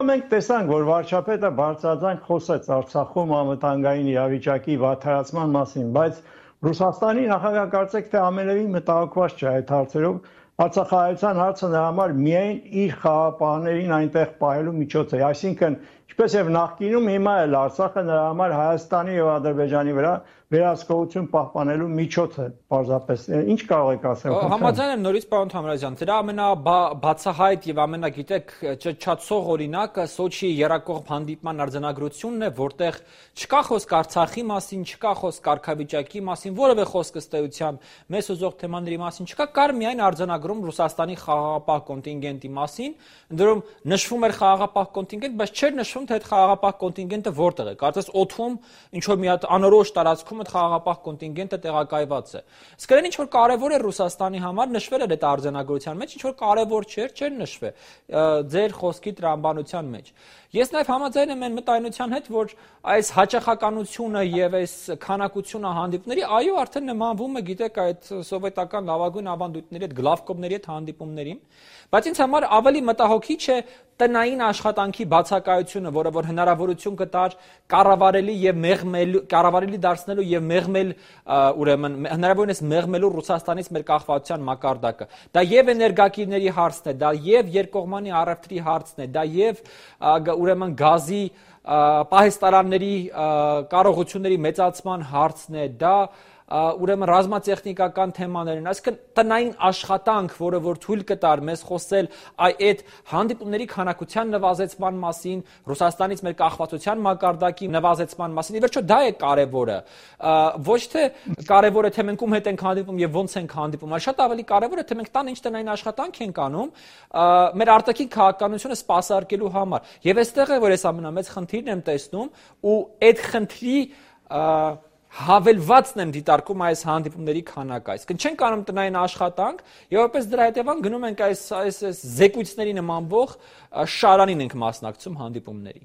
Մենք տեսանք, որ վարչապետը բարձրաձայն խոսեց Արցախում անվտանգային իրավիճակի վատթարացման մասին, բայց Ռուսաստանի նախագահը կարծեք թե ամենևին մտահոգված չէ այդ հարցերով։ Արցախահայության հարցը նրա համար միայն իր խաղապահներին այնտեղ պահելու միջոց է, այսինքն ինչպես եւ նախկինում հիմա էլ Արցախը նրա համար Հայաստանի եւ Ադրբեջանի վրա վերահսկողություն պահպանելու միջոց է, պարզապես։ Ինչ կարող եք ասել։ Համաձայն եմ նորից, պարոն Թամրազյան, դրա ամենաբացահայտ եւ ամենագիտեք ճչացող օրինակը Սոչիի երակողմ հանդիպման արձանագրությունն է, որտեղ չկա խոսք Արցախի մասին, չկա խոսք կարգավիճակի մասին, որևէ խոսք ըստ էության մեզ ուզող թեմաների մասին չկա, կար միայն արձանագրում Ռուսաստանի խաղաղապահ կոնտինգենտի մասին, ընդդեմ նշվում էր խաղաղապահ կոնտինգենտ, բայց չէր նշվում, թե այդ խաղաղապահ կոնտինգենտը որտեղ է։ Կարծես օդում ինչ որ մի հատ անորոշ տարածքում այդ խաղաղապահ կոնտինգենտը տեղակայված է։ Իսկ այն ինչ որ կարևոր է Ռուսաստանի համար, նշվել էր այդ արձանագրության մեջ, ինչ որ կարևոր չէր նշվել ձեր խոսքի տրամաբանության մեջ։ Ես նաև համաձայն եմ այն մտայնության հետ, որ այս հաճախականությունը եւ այս քանակությունը հանդիպումների, այո, արդեն նմանվում է, գիտեք, այդ սովետական լավագույն ավանդույթների հետ, գլավկովների հետ հանդիպումներին, բայց ինձ համար ավելի մտահոգիչ է տնային աշխատանքի բացակայությունը, որը որ հնարավորություն կտար կառավարելի դարձնելու եւ մեղմել, ուրեմն հնարավորինս մեղմելու Ռուսաստանից մեր կախվածության մակարդակը։ Դա եւ էներգակիրների հարցն է, դա եւ երկկողմանի առևտրի հարցն է, դա եւ ուրեմն գազի պահեստարանների կարողությունների մեծացման հարցն է, դա ուրեմն ռազմատեխնիկական թեմաներն, այսինքն տնային աշխատանք, որը որ թույլ կտար մեզ խոսել այդ հանդիպումների քանակության նվազեցման մասին, Ռուսաստանից մեր կախվածության մակարդակի նվազեցման մասին, ի վերջո դա է կարևորը, ոչ թե կարևորը թե մենք ում հետ ենք հանդիպում եւ ոնց ենք հանդիպում, այլ շատ ավելի կարևորը թե մենք տան ինչ տնային աշխատանք ենք անում մեր արտաքին քաղաքականությունը սպասարկելու համար։ Եվ այստեղ է որ ես ամենամեծ խնդիրն եմ տեսնում ու այդ խնդրի հավելվածն եմ դիտարկում այս հանդիպումների քանակը, այսինքն չենք անում տնային աշխատանք եւ որպես դրա հետևանք գնում ենք այս զեկույցների նմանվող շարանին ենք մասնակցում հանդիպումների։